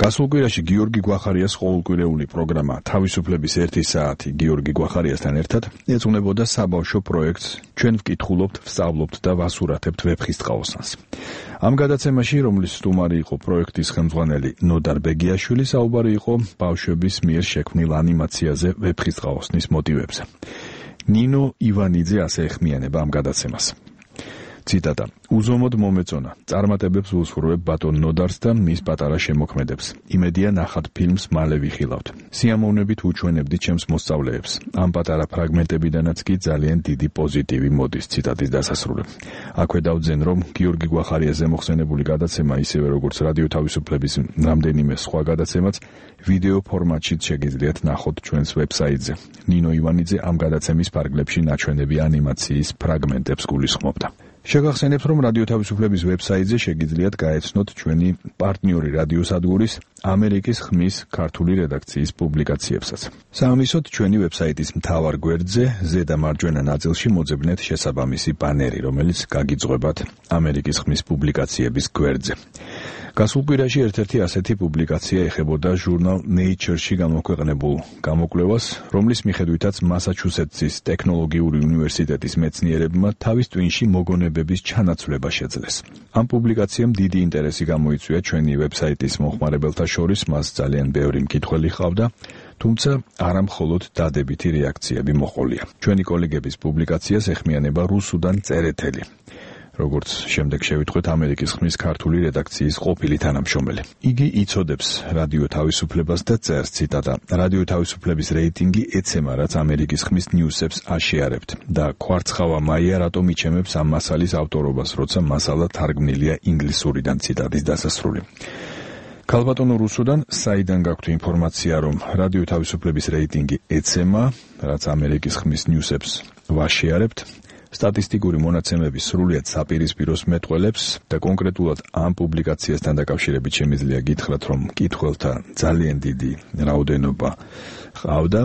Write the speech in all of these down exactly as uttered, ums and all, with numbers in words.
გასულ კვირაში გიორგი გვახარიას ყოველკვირეული პროგრამა თავისუფლების ერთი საათი გიორგი გვახარიასთან ერთად ეძღვნებოდა საბავშვო პროექტს ჩვენ ვკითხულობთ, ვსწავლობთ და ვასურათებთ ვეფხისტყაოსანს. ამ გადაცემაში, რომლის სტუმარი იყო პროექტის ხელმძღვანელი ნოდარ ბეგიაშვილი, საუბარი იყო ბავშვების მიერ შექმნილ ანიმაციაზე ვეფხისტყაოსნის მოტივებზე. ნინო ივანიძე ასე ეხმიანება ამ გადაცემას. ციტატა: უზომოდ მომეწონა, წარმატებებს ვუსურვებ ბატონ ნოდარს და მის პატარა შემოქმედებს. იმედია ნახат ფილმს მალე ვიხილავთ. სიამოვნებით უჩვენებდი ჩემს მოსწავლეებს. ამ პატარა ფრაგმენტებიდანაც კი ძალიან დიდი პოზიტივი მოდის. ციტატის დასასრული. აქვე დავძენ, რომ გიორგი გვახარიაზე მოხსენებული გადაცემა, ისევე როგორც რადიო თავისუფლების რამდენიმე სხვა გადაცემაც, ვიდეო ფორმატშიც შეგიძლიათ ნახოთ ჩვენს ვებსაიტზე. ნინო ივანიძე ამ გადაცემის ფარგლებში ნაჩვენები ანიმაციის ფრაგმენტებს გულისხმობდა. შეგახსენებთ, რომ რადიო თავისუფლების ვებსაიტზე შეგიძლიათ გაეცნოთ ჩვენი პარტნიორი რადიოსადგურის ამერიკის ხმის ქართული რედაქციის პუბლიკაციებსაც. საამისოდ ჩვენი ვებსაიტის მთავარ გვერდზე ზედა მარჯვენა ნაწილში მოძებნეთ შესაბამისი ბანერი, რომელიც გაგიძღვებათ ამერიკის ხმის პუბლიკაციების გვერდზე. გასულ კვირაში ერთ-ერთი ასეთი პუბლიკაცია ეხებოდა ჟურნალ Nature-ში გამოქვეყნებულ გამოკვლევას, რომლის მიხედვითაც მასაჩუსეტსის ტექნოლოგიური უნივერსიტეტის მეცნიერებმა თავის ტვინში მოგონებების ჩანაცვლება შეძლეს. ამ პუბლიკაციამ დიდი ინტერესი გამოიწვია ჩვენი ვებსაიტის მომხმარებელთა შორის, მას ძალიან ბევრი მკითხველი ჰყავდა, თუმცა არა მხოლოდ დადებითი რეაქციები მოჰყოლია. ჩვენი კოლეგების პუბლიკაციას ეხმიანება რუსუდან წერეთელი, როგორც შემდეგ შევიტყვეთ ამერიკის ხმის ქართული რედაქციის ყოფილი თანამშრომელი. იგი იცოდებს რადიო თავისუფლებას და წერს, ციტატა: რადიო თავისუფლების რეიტინგი ეცემა, რაც ამერიკის ხმის ნიუსებს აშეარებთ და კვარცხავა მაია რატომ იჩემებს ამ მასალის ავტორობას, როცა მასალა თარგმნილია ინგლისურიდან. ციტატის დასასრული. ქალბატონო რუსუდან, საიდან გაქვთ ინფორმაცია, რომ რადიო თავისუფლების რეიტინგი ეცემა, რაც ამერიკის ხმის ნიუსებს ვაშეარებთ? სტატისტიკური მონაცემების სრულიად საპირისპიროს მეტყველებს და კონკრეტულად ამ პუბლიკაციასთან დაკავშირებით შემიძლია გითხრათ, რომ მკითხველთა ძალიან დიდი რაოდენობა ჰყავდა.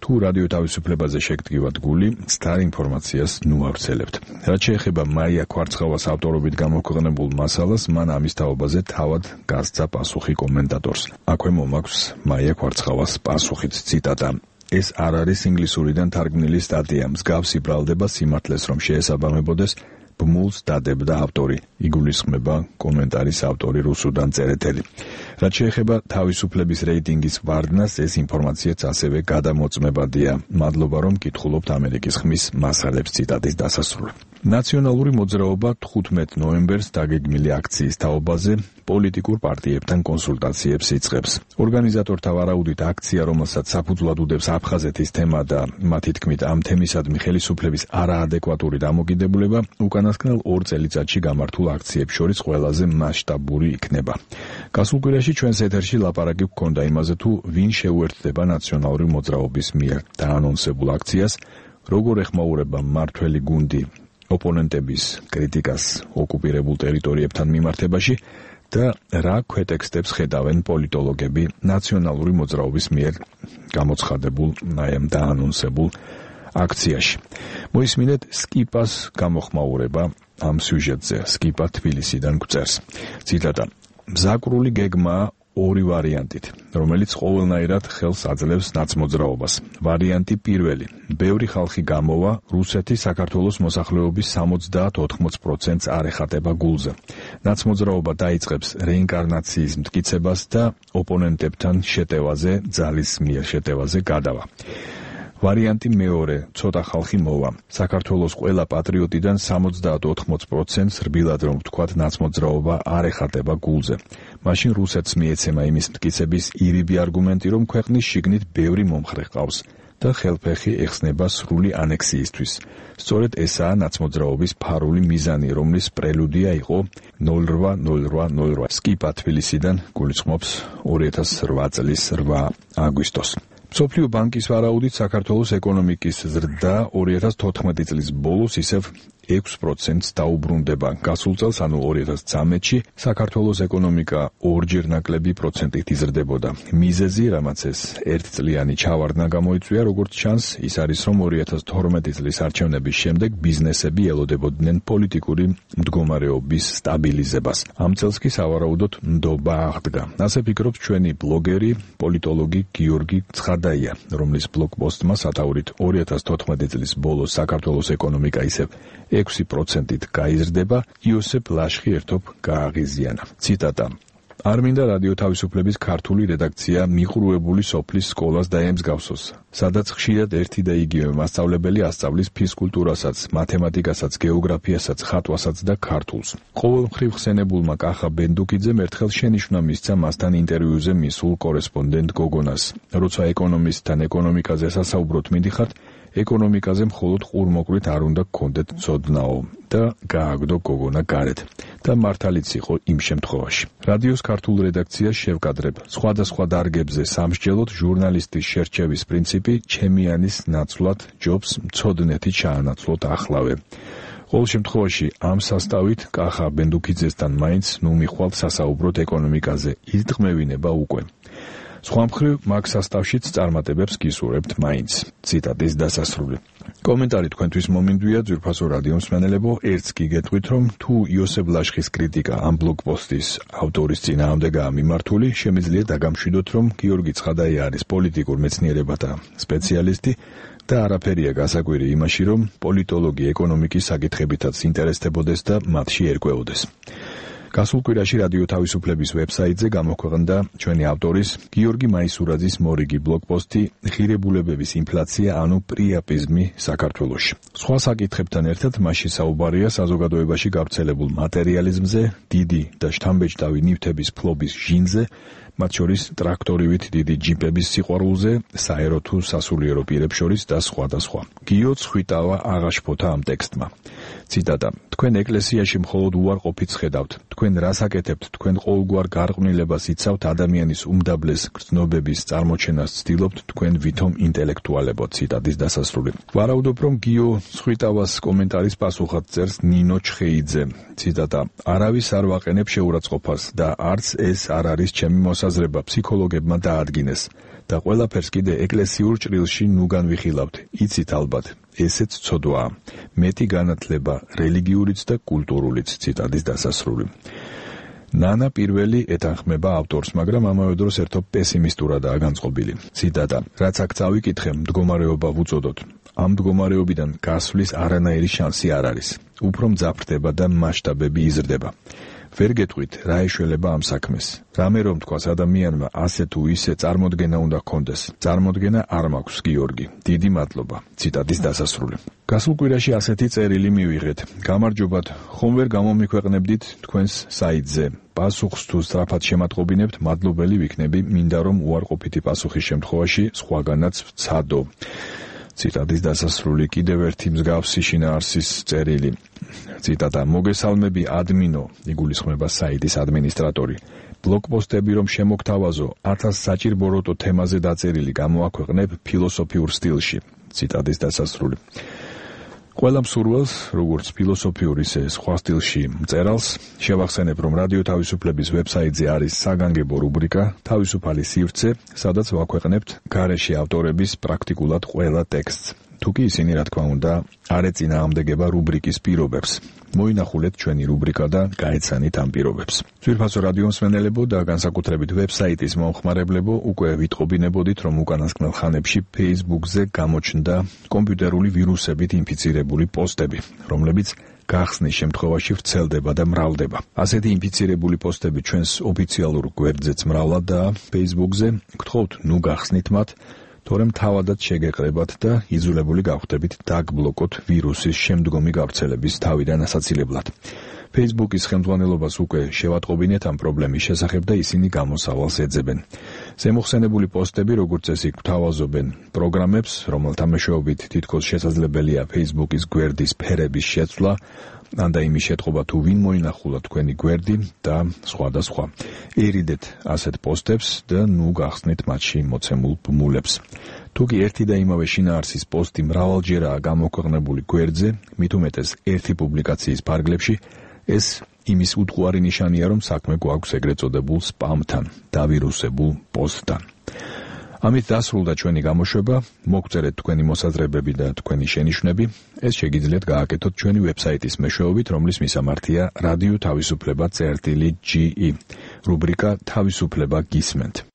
თუ რადიო თავისუფლებაზე შეგდგივათ გული, სთარ ინფორმაციას ნუ ავრცელებთ. რაც შეეხება მაია კვარცხავას ავტორობით გამოქვეყნებულ მასალას, მან ამის თაობაზე თავად გასცა პასუხი კომენტატორს. აქვე მომაქვს მაია კვარცხავას პასუხით, ციტატა: ეს არ არის ინგლისურიდან თარგმნილი სტატია, მსგავსი ბრალდება სიმართლეს რომ შეესაბამებოდეს, ბმულს დადებდა ავტორი, იგულისხმება კომენტარის ავტორი რუსუდან წერეთელი. რაც შეეხება თავისუფლების რეიტინგის ვარდნას, ეს ინფორმაციაც ასევე გადამოწმებადია. მადლობა, რომ კითხულობთ ამერიკის ხმის მასალებს. ციტატის დასასრული. ნაციონალური მოძრაობა თხუთმეტ ნოემბერს დაგეგმილი აქციის თაობაზე პოლიტიკურ პარტიებთან კონსულტაციებს იწყებს. ორგანიზატორთა ვარაუდით, აქცია, რომელსაც საფუძვლად უდევს აფხაზეთის თემა და მათი თქმით ამ თემისადმი ხელისუფლების არაადეკვატური დამოკიდებულება, უკანასკნელ ორ წელიწადში გამართულ აქციებს შორის ყველაზე მასშტაბური იქნება. გასულ კვირაში ჩვენს ეთერში ლაპარაკი გქონდა იმაზე, თუ ვინ შეუერთდება ნაციონალური მოძრაობის მიერ დაანონსებულ აქციას, როგორ ეხმაურება მმართველი გუნდი ოპონენტების კრიტიკას ოკუპირებულ ტერიტორიებთან მიმართებაში და რა ქვეტექსტებს ხედავენ პოლიტოლოგები ნაციონალური მოძრაობის მიერ გამოცხადებულ აი ამ დაანონსებულ აქციაში. მოისმინეთ სკიპას გამოხმაურება ამ სიუჟეტზე. სკიპა თბილისიდან გვწერს. ციტატა: მზაკრული გეგმაა ორი ვარიანტით, რომელიც ყოველნაირად ხელს აძლევს ნაცმოძრაობას. ვარიანტი პირველი: ბევრი ხალხი გამოვა, რუსეთი საქართველოს მოსახლეობის სამოცდაათ ოთხმოც პროცენტს არ ეხატება გულზე. ნაცმოძრაობა დაიწყებს რეინკარნაციის მტკიცებას და ოპონენტებთან შეტევაზე, ძალის მიერ შეტევაზე გადავა. ვარიანტი მეორე: ცოტა ხალხი მოვა. საქართველოს ყველა პატრიოტიდან სამოცდაათ ოთხმოც პროცენტს რბილად რომ ვთქვათ, ნაცმოძრაობა არ ეხატება გულზე. მაშინ რუსეთს მიეცემა იმის მტკიცების ირიბი არგუმენტი, რომ ქვეყნის შიგნით ბევრი მომხრე ჰყავს და ხელფეხი ეხსნება სრული ანექსიისთვის. სწორედ ესაა ნაცმოძრაობის ფარული მიზანი, რომლის პრელუდია იყო ნული რვა ნული რვა ნული რვა. სკიპა თბილისიდან გულისხმობს ორი ათას რვა წლის რვა აგვისტოს. მსოფლიო ბანკის ვარაუდით საქართველოს ეკონომიკის ზრდა ორი ათას თოთხმეტი წლის ბოლოს ისევ ექვს პროცენტს დაუბრუნდება. გასულ წელს, ანუ ორი ათას ცხრამეტში, საქართველოს ეკონომიკა ორჯერ ნაკლები პროცენტით იზრდებოდა. მიზეზი, რამაც ეს ერთწლიანი ჩავარდნა გამოიწვია, როგორც ჩანს, ის არის, რომ ორი ათას თორმეტი წლის არჩევნების შემდეგ ბიზნესები ელოდებოდნენ პოლიტიკური მდგომარეობის სტაბილიზებას. ამ წელს კი სავარაუდოდ ნდობა აღდგა. ასე ფიქრობს ჩვენი ბლოგერი, პოლიტოლოგი გიორგი ცხადაია, რომლის ბლოგპოსტმა სათაურით ორი ათას თოთხმეტი წლის ბოლოს საქართველოს ეკონომიკა ისევ ექვსი პროცენტით გაიზრდება, იოსებ ლაშხი ერთობ გააღიზიანა. ციტატა: არ მინდა რადიო თავისუფლების ქართული რედაქცია მიყრუებული სოფლის სკოლას დაემსგავსოს, სადაც ხშირად ერთი და იგივე მასწავლებელი ასწავლის ფიზკულტურასაც, მათემატიკასაც, გეოგრაფიასაც, ხატვასაც და ქართულს. ყოველმხრივ ხსენებულმა კახა ბენდუკიძემ ერთხელ შენიშვნა მისცა მასთან ინტერვიუზე მისულ კორესპონდენტ გოგონას. როცა ეკონომისტთან ეკონომიკაზე სასაუბროთ მიდიხართ, ეკონომიკაზე მხოლოდ ყურმოყრით არ უნდა გქონდეთ ცოდნაო და გააგდო გოგონა გარეთ. და მართალიც იყო იმ შემთხვევაში. რადიოს ქართულ რედაქციას შევკადრებ. სხვადასხვა დარგებზე სამსჯელოდ ჟურნალისტის შერჩევის პრინციპი ჩემიანის ნაცვლად ჯობს მცოდნეთი ჩაანაცვლოთ ახლავე. ყოველ შემთხვევაში ამ სასტავით კახა ბენდუკიძესთან მაინც ნუ მიხვალ სასაუბროთ ეკონომიკაზე. იტყმევინება უკვე. სხვა მხრივ მაგ სასტავშიც წარმატებებს გისურვებთ მაინც. ციტატის დასასრული. კომენტარი თქვენთვის მომინდვია, ძვირფასო რადიო მსმენელებო, ერთს კი გეტყვით, რომ თუ იოსებ ლაშხის კრიტიკა ამ ბლოგპოსტის ავტორის წინააღმდეგაა მიმართული, შემიძლია დაგამშვიდოთ, რომ გიორგი ცხადაია არის პოლიტიკურ მეცნიერებათა სპეციალისტი და არაფერია გასაკვირი იმაში, რომ პოლიტოლოგი ეკონომიკის საკითხებითაც ინტერესდებოდეს და მათში ერკვეოდეს. გასულ კვირაში რადიო თავისუფლების ვებსაიტზე გამოქვეყნდა ჩვენი ავტორის გიორგი მაისურაძის მორიგი ბლოგპოსტი ღირებულებების ინფლაცია, ანუ პრიაპიზმი საქართველოში. სხვა საკითხებთან ერთად მასში საუბარია საზოგადოებაში გავრცელებულ მატერიალიზმზე, დიდი და შთამბეჭდავი ნივთების ფლობის ჟინზე, მათ შორის ტრაქტორივით დიდი ჯიპების სიყვარულზე, საერო თუ სასულიერო პირებს შორის და სხვა და სხვა. გიო ცხვიტავა აღაშფოთა ამ ტექსტმა. ციტატა: თქვენ ეკლესიაში მხოლოდ უარყოფით ხედავთ. თქვენ რას აკეთებთ? თქვენ ყოველგვარ გარყვნილებას იცავთ, ადამიანის უმდაბლეს გრძნობების წარმოჩენას ცდილობთ, თქვენ ვითომ ინტელექტუალებო. ციტატის დასასრული. ვარაუდობ, რომ გიო ცხვიტავას კომენტარის პასუხად წერს ნინო ჩხეიძე. ციტატა: არავის არ ვაყენებ შეურაცხყოფას და არც ეს არ არის ჩემი მოსაზრება, ფსიქოლოგებმა დაადგინეს და ყველაფერს კიდე ეკლესიურ ჭრილში ნუ განვიხილავთ. იცით ალბათ, ესეც ცოდვაა. მეტი განათლება რელიგიურიც და კულტურულიც. ციტატის დასასრული. ნანა პირველი ეთანხმება ავტორს, მაგრამ ამავე დროს ერთობ პესიმისტურადაა განწყობილი. ციტატა: რაც აქ წავიკითხე, მდგომარეობა ვუწოდოთ. ამ მდგომარეობიდან გასვლის არანაირი შანსი არ არის. უფრო მძაფრდება და მასშტაბები იზრდება. ვერ გეტყვით, რა ეშველება ამ საქმეს. რამე რომ თქვას ადამიანმა ასე თუ ისე წარმოდგენა უნდა ჰქონდეს. წარმოდგენა არ მაქვს, გიორგი. დიდი მადლობა. ციტატის დასასრული. გასულ კვირაში ასეთი წერილი მივიღეთ. გამარჯობათ, ხომ ვერ გამომიქვეყნებდით თქვენს საიტზე. პასუხს თუ სწრაფად შემატყობინებთ, მადლობელი ვიქნები, მინდა რომ უარყოფითი პასუხის შემთხვევაში სხვაგანაც ვცადო. ციტატის დასასრული. კიდევ ერთი მსგავსი შინაარსის წერილი. ციტატა: მოგესალმები ადმინო, იგულისხმება საიტის ადმინისტრატორი. ბლოგპოსტები რომ შემოგთავაზო, ათას საჭირბოროტო თემაზე დაწერილი გამოაქვეყნებ ფილოსოფიურ სტილში. ციტატის დასასრული. ყველა მსურველს, როგორც ფილოსოფიურ ისე სხვა სტილში მწერალს, შევახსენებ, რომ რადიო თავისუფლების ვებსაიტზე არის საგანგებო რუბრიკა თავისუფალი სივრცე, სადაც ვაქვეყნებთ გარეშე ავტორების პრაქტიკულად ყველა ტექსტს. თუკი ისინი, რა თქმა უნდა, არ ეწინააღმდეგება რუბრიკის პირობებს. მოინახულეთ ჩვენი რუბრიკა და გაეცანით ამ პირობებს. ძვირფასო რადიო მსმენელებო და განსაკუთრებით ვებსაიტის მომხმარებლებო, უკვე ვიტყობინებოდით, რომ უკანასკნელ ხანებში Facebook-ზე გამოჩნდა კომპიუტერული ვირუსებით ინფიცირებული პოსტები, რომლებიც გახსნის შემთხვევაში ვრცელდება და მრავლდება. ასეთი ინფიცირებული პოსტები ჩვენს ოფიციალურ გვერდზეც მრავლადაა Facebook-ზე. გთხოვთ, ნუ გახსნით მათ, თორემ თავადაც შეგეყრებათ და იძულებული გავხდებით დაგბლოკოთ ვირუსის შემდგომი გავრცელების თავიდან ასაცილებლად. Facebook-ის ხელმძღვანელობას უკვე შევატყობინეთ ამ პრობლემის შესახებ და ისინი გამოსავალს ეძებენ. ზემოხსენებული პოსტები, როგორც წესი, გვთავაზობენ პროგრამებს, რომელთა მეშვეობით თითქოს შესაძლებელია Facebook-ის გვერდის ფერების შეცვლა, ან და იმის შეტყობა თუ ვინ მოინახულა თქვენი გვერდი და სხვა და სხვა. ერიდეთ ასეთ პოსტებს და ნუ გახსნით მათში მოცემულ ბმულებს. თუ კი ერთი და იმავე შინაარსის პოსტი მრავალჯერაა გამოქვეყნებული გვერდზე, მით უმეტეს ერთი პუბლიკაციის ფარგლებში, ეს იმის უტყუარი ნიშანია, რომ საქმე გვაქვს ეგრეთ წოდებულ სპამთან, დავირუსებულ პოსტთან. ამით დასრულდა ჩვენი გამოშვება, მოგწერეთ თქვენი მოსაზრებები და თქვენი შენიშვნები, ეს შეგიძლიათ გააკეთოთ ჩვენი ვებსაიტის მეშვეობით, რომლის მისამართია რადიო თავისუფლება წერტილი ჯი ი, რუბრიკა თავისუფლება გისმენთ.